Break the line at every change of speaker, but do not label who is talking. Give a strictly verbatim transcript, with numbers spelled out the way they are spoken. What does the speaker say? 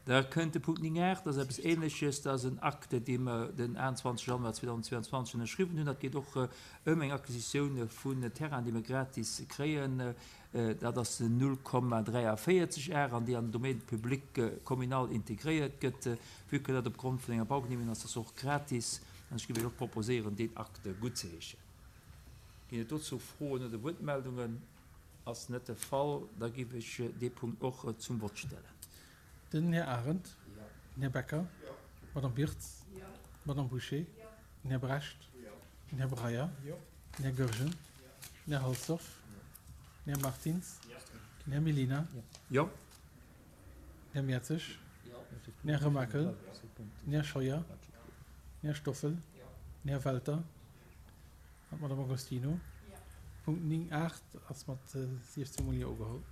Da kënnt de Punkt néng aacht, dat ass eppes Ähnleches, dat ass en Acte, dee mer den achtenzwanzeg Januar zweedausendzweianzwanzeg ënnerschriwwen hunn. Dat geet och ëm eng Acquisitioun vun Terrainen, déi mer gratis kréien. Dat ass den null Komma dräiavéierzeg Ar an déi an den Domaine public communal integréiert gëtt. Vue que dat opgrond vun enger Baugenehmegung ass, ass och gratis. An ech géif Iech och proposéieren, deen Acte guttzeheeschen. Ginn et dozou Froen oder Wuertmeldungen? Ass net de Fall. Da géif ech dee Punkt och zum Vott stellen.
Den Här Arendt. Den Här Becker. D'Madame Birtz. D'Madame Bouché. Den Här Brecht. Den Här Breyer. Den Här Goergen. Den Här Halsdorf. Den Här Martins. Den Här Mellina.
Jo.
Den Här Mertzig. Den Här Remakel. Den Här Scheuer. Den Här Stoffel. Den Här Welter an d'Madame Agostino. Punkt néng aacht ass mat siechzéng mol Jo ugeholl.